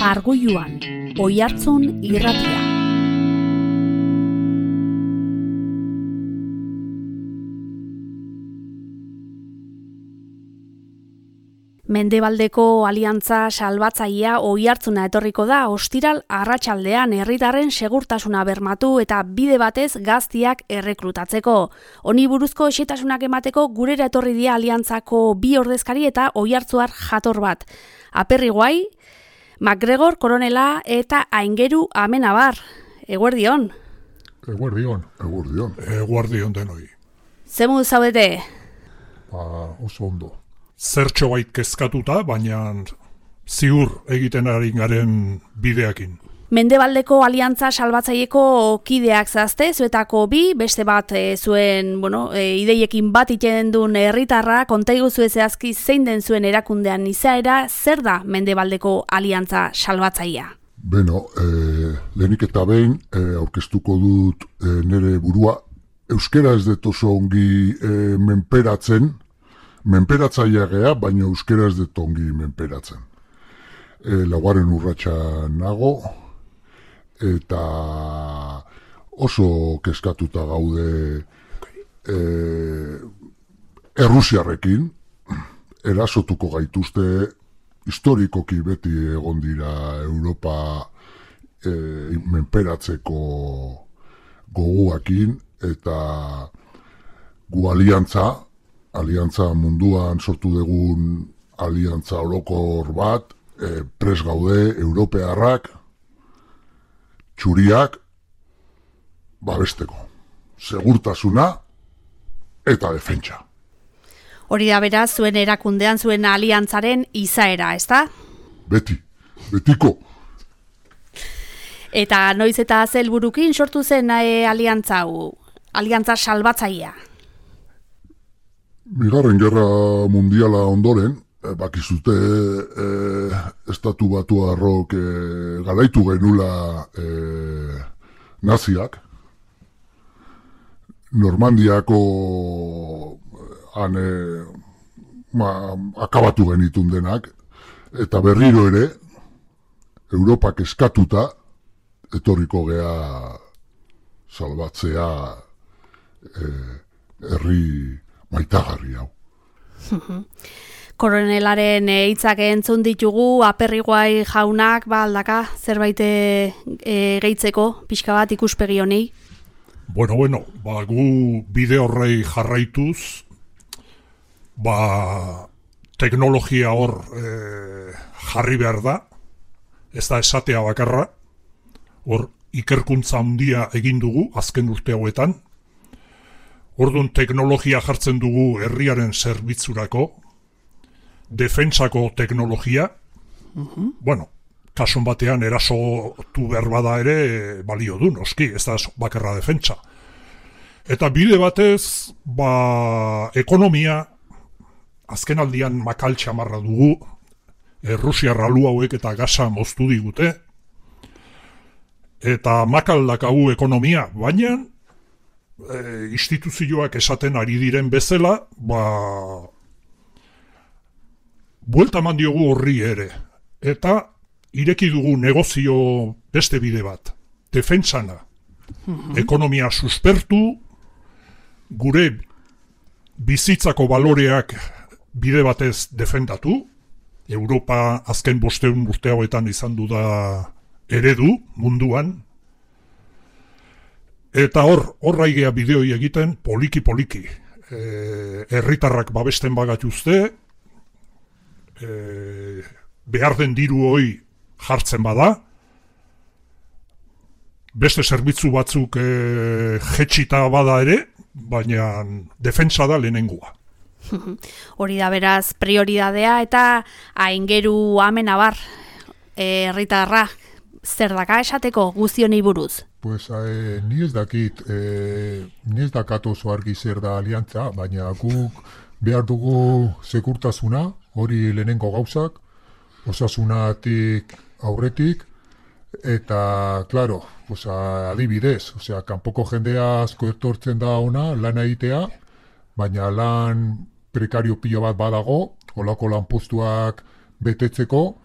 Argoiluan, Oihartzun irratia. Mendebaldeko aliantza salbatzailea Oihartzuna etorriko da ostiral arratsaldean herritarren segurtasuna bermatu eta bide batez gaztiak errekrutatzeko. Honi buruzko xehetasunak emateko gurera etorri dira aliantzako bi ordezkari eta oihartzuar jator bat. Aperriguai, MacGregor koronela eta Aingeru Amenabar. Eguerdion. Eguerdion. Eguerdion denoi. Zemu zaudete? Oso ondo. Zertxo bait kezkatuta, baina ziur egiten ari garen bideakin. Mendebaldeko aliantza salbatzaileko kideak zazte, zuetako bi, beste bat zuen, ideiekin bat iten duen herritarra, kontaigu zehazki zein den zuen erakundean izaera, zer da Mendebaldeko aliantza salbatzailea? Lehenik eta behin, aurkeztuko dut nire burua, euskera ez dut oso ongi menperatzailea gea, baina euskera ez dut ongi menperatzen. Laugarren urratsa nago, eta oso kezkatuta gaude Errusiarrekin, erasotuko gaituzte, historikoki beti egon dira Europa menperatzeko gogoakin, eta gu aliantza munduan sortu dugun aliantza orokor bat, pres gaude, europearrak, txuriak, babesteko. Segurtasuna eta defentsa. Hori da beraz, zuen erakundean, zuen aliantzaren izaera, ezta? Betiko. Eta noiz eta helburukin sortu zen aliantza salbatzailea? Bigarren Gerra Mundiala ondoren, bakizute estatu batuarrok garaitu genula naziak, Normandiako akabatu genitun denak, eta berriro ere, Europak eskatuta, etorriko gea salbatzea herri maitagarri hau. Koronelaren hitzak entzun ditugu, Aperriguai jaunak, aldaka, zerbait gehitzeko, pixka bat ikuspegi honi? Gu bide horrei jarraituz, teknologia hor jarri behar da, ez da esatea bakarra, hor ikerkuntza handia egin dugu, azken urte hauetan, orduan teknologia jartzen dugu herriaren zerbitzurako, defentsako teknologia, kasun batean erasotu behar bada ere balio du, noski, ez da bakarra defentsa. Eta bide batez, ekonomia, azken aldian makal txamarra dugu, Errusiar alu hauek eta gasa moztu digute, eta makal dakagu ekonomia, baina instituzioak esaten ari diren bezala, buelta eman diogu horri ere, eta ireki dugu negozio beste bide bat, defentsana. Ekonomia suspertu, gure bizitzako baloreak bide batez defendatu, Europa azken 500 urte hauetan izan du da eredu munduan, eta horraigea bideoi egiten poliki. Herritarrak babesten bagatuzte, behar den diru hoi jartzen bada, beste zerbitzu batzuk jetxita bada ere, baina defentsa da lehenengoa. Hori da beraz prioridadea eta Aingeru Amenabar herritarra zer daka esateko guztionei buruz? Ni ez dakit, ni ez dakat oso argi zer da aliantza, baina guk behar dugu segurtasuna, hori lehenengo gauzak, osasunatik aurretik, eta, klaro, adibidez, kanpoko jendea asko etortzen da ona, lana egitea, baina lan prekario pilo bat badago, holako lanpostuak betetzeko,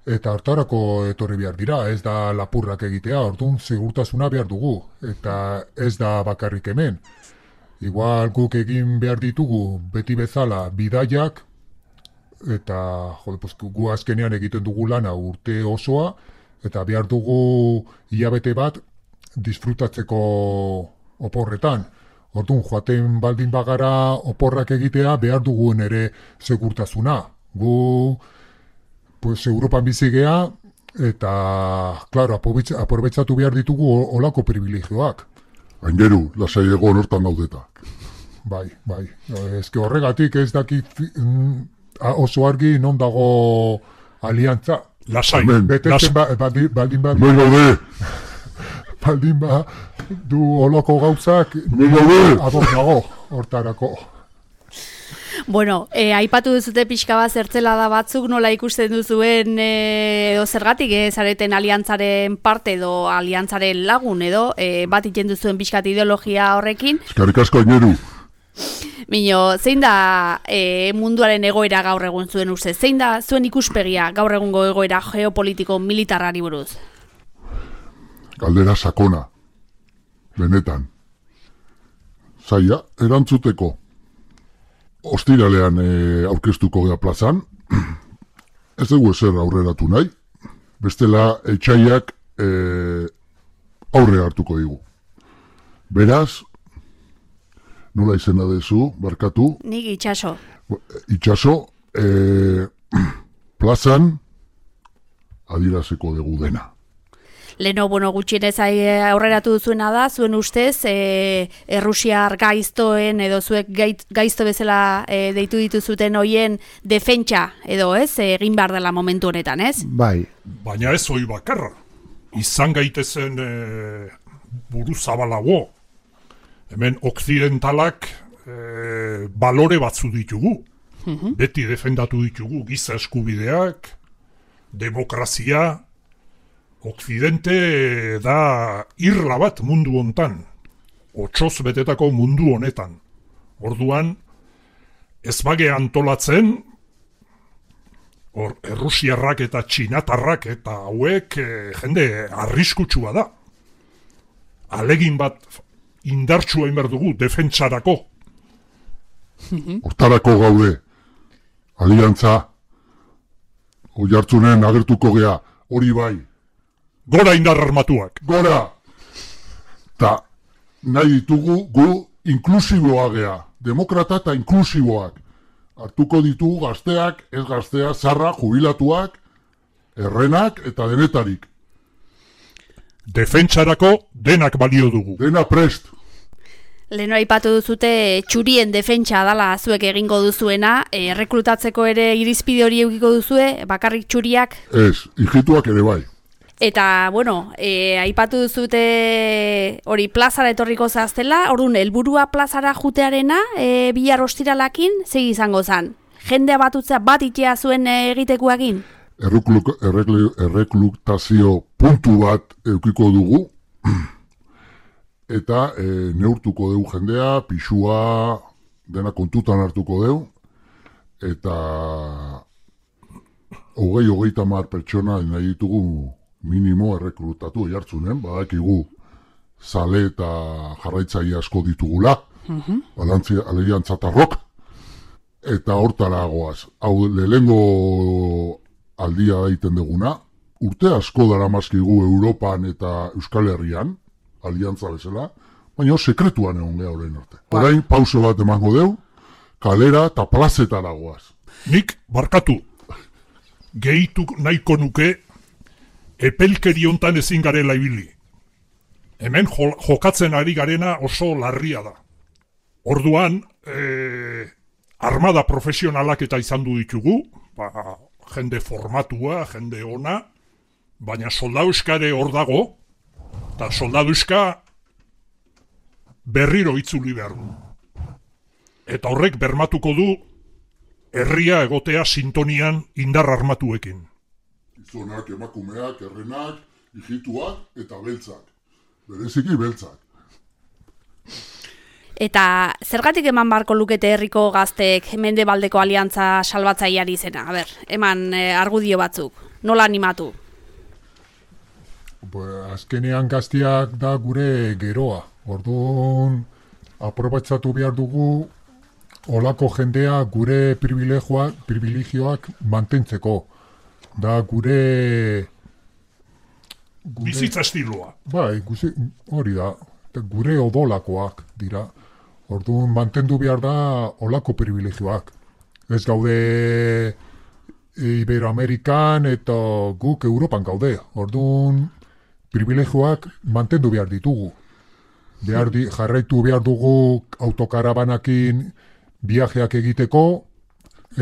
Eta hartarako etorri behar dira, ez da lapurrak egitea, orduan segurtasuna behar dugu, eta ez da bakarrik hemen. Igual guk egin behar ditugu beti bezala bidaiak, eta gu azkenean egiten dugu lana urte osoa, eta behar dugu hilabete bat disfrutatzeko oporretan. Orduan, joaten baldin bagara oporrak egitea, behar dugun ere segurtasuna. Gu Europan bizi gea, eta, klaro, aprobetxatu behar ditugu olako privilegioak. Aingeru, lasai egon hortan gaudeta. Bai. Ezke horregatik ez dakit oso argi non dago aliantza. Lasai. Betetzen baldin du oloko gauzak, ador dago hortarako. Bueno, aipatu duzute pixka bat zertzela da batzuk, nola ikusten duzuen edo zergatik zareten aliantzaren parte edo aliantzaren lagun edo bat iten duzuen pixkat ideologia horrekin. Eskerrik asko, Aingeru. Mino, zein da munduaren egoera gaur egun zuen ustez? Zein da zuen ikuspegia gaur egungo egoera geopolitiko militarrari buruz? Galdera sakona. Benetan. Zaila, erantzuteko. Ostiralean aurkeztuko gea plazan, ez dugu ezer aurreratu nahi, bestela etxaiak aurre hartuko digu. Beraz, nola izena dezu, barkatu? Nik Itxaso. Itxaso, plazan adieraziko dugu dena. Leno, gutxienez aurreratu duzuena da, zuen ustez, Errusiar gaiztoen edo zuek gaizto bezala deitu dituzuten hoien defentsa edo ez, egin behar dela momentu honetan, ez? Bai. Baina ez hoi bakarra. Izan gaitezen buru zabalago. Hemen okzidentalak balore batzu ditugu. Beti defendatu ditugu giza eskubideak, demokrazia. Okzidente da irla bat mundu hontan, otsoz betetako mundu honetan. Orduan, ez bage antolatzen, Errusiarrak eta Txinatarrak eta hauek jende arriskutsua da. Alegin bat indartsua inber dugu defentsarako. Hortarako gaude, aliantza, Oiartzunen agertuko gea, hori bai. Gora indar armatuak. Gora! Ta nahi ditugu gu inklusiboa gea, demokrata eta inklusiboak. Hartuko ditugu gazteak, ez gaztea, zarra, jubilatuak, errenak eta denetarik. Defentsarako denak balio dugu. Dena prest. Leno aipatu duzute txurien defentsa dala zuek egingo duzuena, erreklutatzeko ere irizpide hori eukiko duzue, bakarrik txuriak? Ez, hijituak ere bai. Eta, aipatu duzute hori plazara etorriko zaztela, orduan, helburua plazara jutearena, bihar ostiralakin, zei izango zan? Jendea batutzea bat itea zuen egitekuagin? Erreklutazio puntu bat eukiko dugu, eta neurtuko dugu jendea, pixua, dena kontutan hartuko dugu, eta 20-30 pertsona nahi ditugu minimo erreklutatu Oiartzunen, badakigu zale eta jarraitzaile asko ditugula, aliantzatarrok, eta hortara goaz. Hau lehengo aldia daiten duguna, urte asko daramazkigu Europan eta Euskal Herrian, aliantza bezala, baina sekretuan egon geha horrein arte. Orain pauso bat emango deu, kalera eta plazetara goaz. Nik, barkatu, gehitu nahiko nuke, epelkeri hontan ezin garela ibili. Hemen jokatzen ari garena oso larria da. Orduan, armada profesionalak eta izan du ditugu, jende formatua, jende ona, baina soldauskare hor dago, eta soldauska berriro itzuli behar du. Eta horrek bermatuko du herria egotea sintonian indar armatuekin. Gizonak, emakumeak, errenak, hijituak eta beltzak. Bereziki beltzak. Eta zergatik eman barko lukete herriko gazteek Mendebaldeko Aliantza salbatzaileari izena? A ber, eman argudio batzuk. Nola animatu? Azkenean gazteak da gure geroa. Orduan, aprobatzatu behar dugu olako jendea gure privilegioak mantentzeko. Da gure bizitza estiloa. Bai, hori da. Gure odolakoak dira. Orduan, mantendu behar da olako privilegioak. Ez gaude Iberoamerikan eta guk Europan gaude. Orduan, privilegioak mantendu behar ditugu. Jarraitu behar dugu autokarabanakin viajeak egiteko,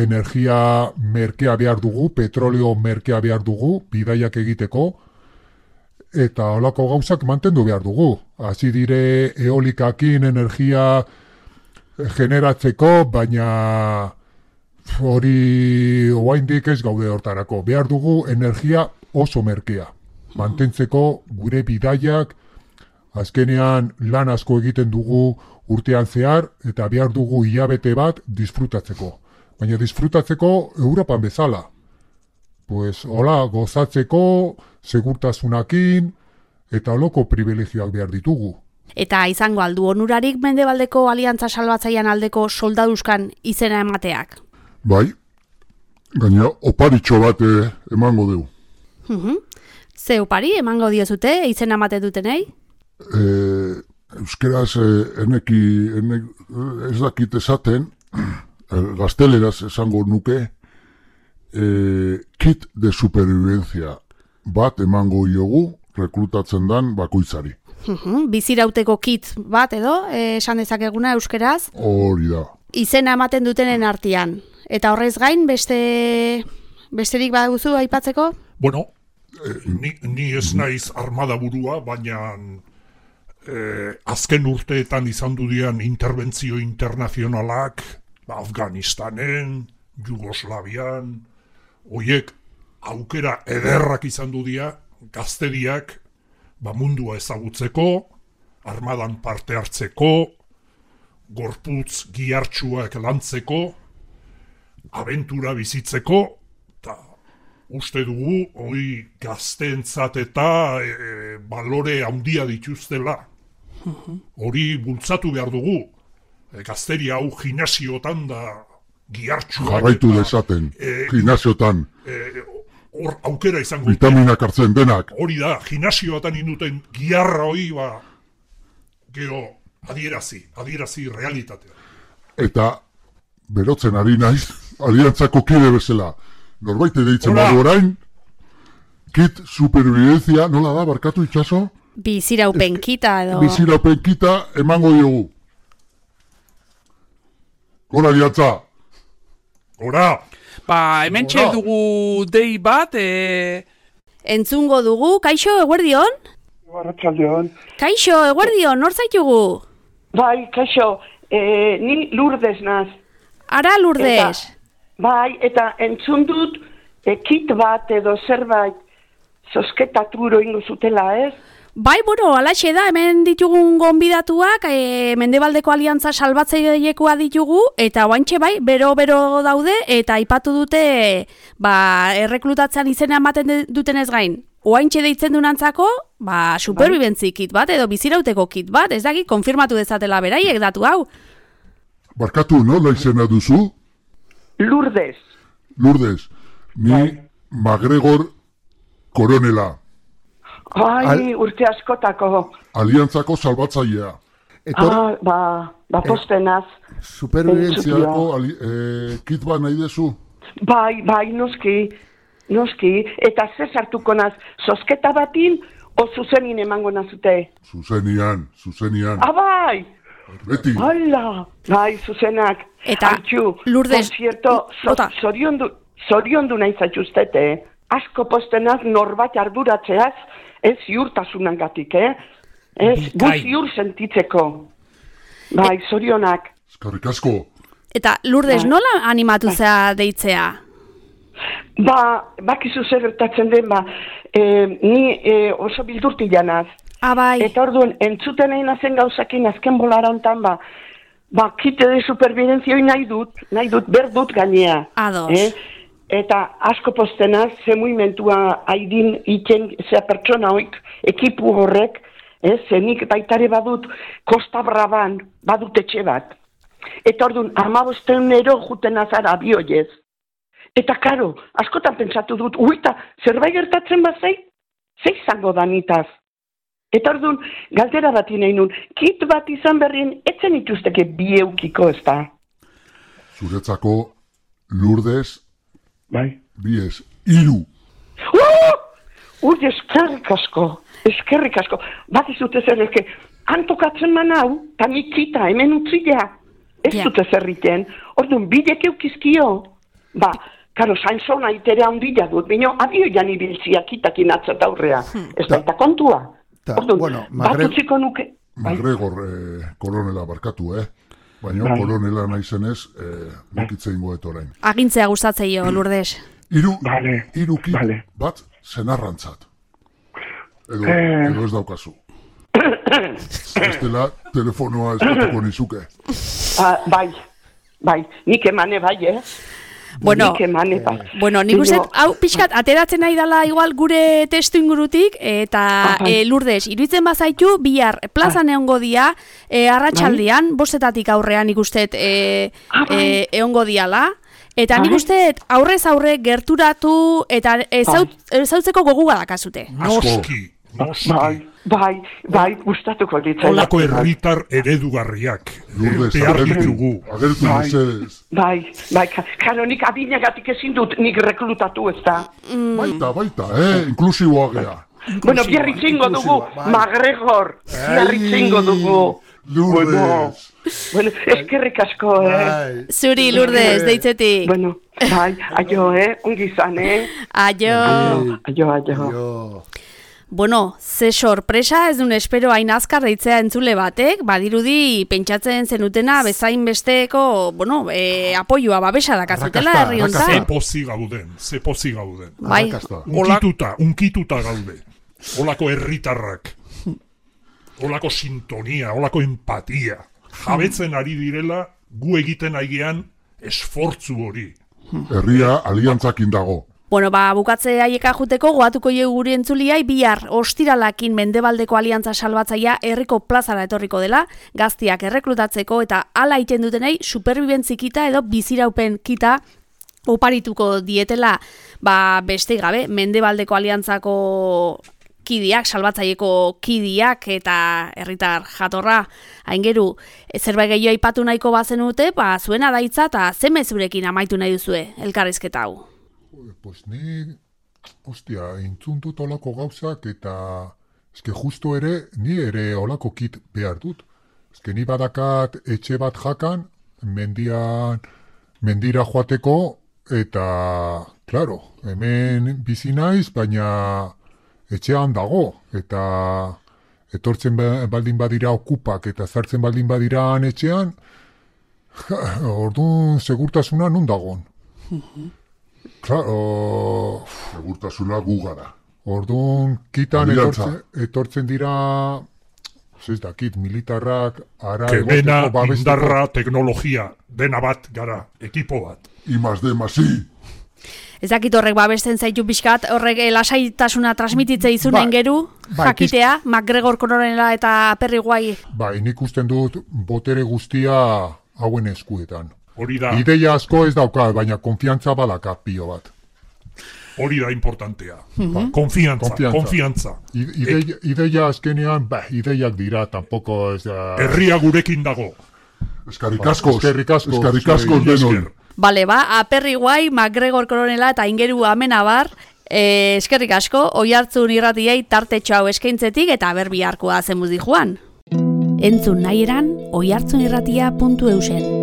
energia merkea behar dugu, petroleo merkea behar dugu, bidaiak egiteko, eta holako gauzak mantendu behar dugu. Hasi dire eolikakin energia generatzeko, baina hori oraindik ez gaude hortarako. Behar dugu energia oso merkea. Mantentzeko gure bidaiak, azkenean lan asko egiten dugu urtean zehar, eta behar dugu hilabete bat disfrutatzeko. Baina disfrutatzeko Europan bezala. Pues, hola, gozatzeko, segurtasunakin, eta holoko privilegioak behar ditugu. Eta izango aldu onurarik Mendebaldeko Aliantza salbatzailean aldeko soldaduzkan izena emateak? Bai, gaina oparitxo bat emango dugu. Ze opari emango diozute izena ematen dutenei? Euskeraz ez dakit esaten, gazteleraz esango nuke, kit de supervivencia bat emango diogu rekrutatzen dan bakoitzari. Bizirauteko kit bat edo, esan dezakeguna euskeraz? Hori da. Izena ematen dutenen artean. Eta horrez gain, besterik baduzu aipatzeko? Bueno, ni ez naiz armada burua, baina azken urteetan izan dudian interbentzio internazionalak, Afganistanen, Jugoslavian, hoiek aukera ederrak izan dudia, gazteriak mundua ezagutzeko, armadan parte hartzeko, gorputz gihartsuak lantzeko, abentura bizitzeko, eta uste dugu, hori gazteentzat eta balore handia dituztela. Hori bultzatu behar dugu. Gazteria hau gimnasiotan da gihartsuak. Jarraitu dezaten, gimnasiotan. Hor aukera izango dute. Vitaminak hartzen denak. Hori da, gimnasioatan induten giharra hori, gero adierazi realitatea. Eta berotzen ari naiz, aliantzako kide bezala. Norbaite deitzen badu orain, kit supervivencia, nola da, barkatu itxaso? Biziraupen kita edo... Biziraupen kita emango diogu. Gora aliantza! Gora! Hementxe dugu dei bat, Entzungo dugu, kaixo, eguerdion? Arratsaldeon. Kaixo, eguerdion, nor zaitugu? Bai, kaixo, ni Lourdes naz. Ara, Lourdes. Eta entzun dut, kit bat edo zerbait zozketaturo ingo zutela, ez? Bai, alaxe da, hemen ditugun gonbidatuak, Mendebaldeko Aliantza salbatzailekoa ditugu, eta oantxe bai, bero-bero daude, eta aipatu dute, erreklutatzean izena ematen dutenez gain. Oantxe deitzen dunantzako, superbibentzi kit bat, edo bizirauteko kit bat, ez dakit, konfirmatu dezatela beraiek datu hau. Barkatu, nola izena duzu? Lourdes. Lourdes, ni MacGregor Koronela. Urte askotako. Aliantzako salbatzailea. Postenaz. Superviventziako kit bat nahi dezu? Bai, noski. Eta ze sartuko naz, zozketa batin, o zuzenin emango nazute? Zuzenian. Bai! Beti. Hala, bai, zuzenak. Eta, Lourdes... Zoriondu nahi zaituztete, asko postenaz norbait arduratzeaz, ez ziurtasunangatik, Ez, gu ziur sentitzeko. Bai, zorionak. Eskerrik asko. Eta, Lourdes, nola animatu zea deitzea? Bakizu zer gertatzen den, ni oso bildurti janaz. Bai. Eta orduan, entzuten egin azen gauzakin azken bolara hontan, kite de supervivenzioi nahi dut, berdut gainea. Ados. Eta asko postenaz, ze muimentua haidin iten, ze pertsona hoik, ekipu horrek, zenik baitare badut, Kosta Braban, badut etxe bat. Eta orduan, 15 juten azara abioiez. Eta karo, askotan pentsatu dut, uita, zerbait gertatzen bazei, ze izango danitaz. Eta orduan, galdera bat nahi nun, kit bat izan berrien, etzen ituzteke bi eukiko, ez da? Zuretzako, Lourdes, Bai. Bies, 3. Eskerrik asko. Bat izute zer, antokatzen man hau, ta nikita, hemen utzilea. Ez dute zerriten. Orduan, bidek eukizkio. Karo, sainzona itere handila dut, bino, abioian ibiltziak itakin atzat aurrea. Ez da kontua. Orduan, bat utziko nuke. MacGregor kolonela barkatu, Baina kolonela naizenez, nokitze ingoet orain. Agintzea gustatzeio, Lourdes. 3 kit bat zenarrantzat. Edo ez daukazu. Ez dela telefonoa eskatuko nizuke. Bai, nik emane bai, Bueno, nik uste, hau pixkat, ateratzen nahi dela igual gure testu ingurutik, eta Lourdes, iruditzen bazaitu, bihar plazan egongo dia, arratsaldean, 5 aurrean nik uste egongo diala, eta nik uste aurrez aurre gerturatu eta ezautzeko gogu badakazute. Noski. Bai, gustatuko ditzen. Olako herritar eredugarriak. Behar ditugu. Agertu mesedez. Bai, karo nik adinagatik ezin dut nik reklutatu ez da. Baita, inklusiboa gea. Bueno, biarritzingo dugu, MacGregor. Biarritzingo dugu. Lourdes. Bueno, eskerrik asko, Zuri, Lourdes, deitzetik. Bueno, bai, aio, ongi izan, Aio. Bueno, ze sorpresa, ez duen espero hain azkar deitzea entzule batek, badirudi pentsatzen zenutena bezain besteko, apoioa babesa dakazutela herri hontan. Ze pozi gauden. Bai. Unkituta gaude. Olako herritarrak. Olako sintonia, olako empatia. Jabetzen ari direla, gu egiten aigean esfortzu hori. Herria aliantzakin dago. Bueno, bukatze haieka juteko goatuko jegu guri entzuliai bihar ostiralakin Mendebaldeko Aliantza Salbatzaia herriko plazara etorriko dela, gaztiak erreklutatzeko eta hala iten dutenei superbibentzikita edo biziraupen kita oparituko dietela, beste gabe, Mendebaldeko Aliantzako kidiak, salbatzaieko kidiak eta herritar jatorra, aingeru, zerbait gehiago aipatu nahiko bazenute, zuena daitza eta ze mezurekin amaitu nahi duzue elkarrizketa hau. Pues ni, entzun dut olako gauzak eta eske justo ni ere olako kit behar dut. Eske ni badakat etxe bat jakan, mendira joateko eta, claro, hemen bizi naiz, baina etxean dago. Eta etortzen baldin badira okupak eta zartzen baldin badira etxean, orduan segurtasuna nun dagon. Claro, segurtasuna gu gara. Orduan, kitan etortzen dira, ez dakit, militarrak, kemena, indarra, teknologia, dena bat gara, ekipo bat. I+D+I. Ez dakit horrek babesten zaitu pixkat, horrek lasaitasuna transmititze izunen geru, jakitea, MacGregor koronela eta Perry Guai. Nik usten dut botere guztia hauen eskuetan. Hori da. Ideia asko ez dauka, baina konfiantza badaka pio bat. Hori da importantea. Konfiantza. Ideia azkenean, ideiak dira, tampoko ez da... Herria gurekin dago. Eskerrik asko denoi. Bale, Perry Guai, MacGregor koronela eta ingeru amenabar, eskerrik asko, Oiartzun irratiei tartetxo hau eskaintzetik eta berbiharkoa zemuz di joan. Entzun nahi eran, oiartzunirratia.eusen.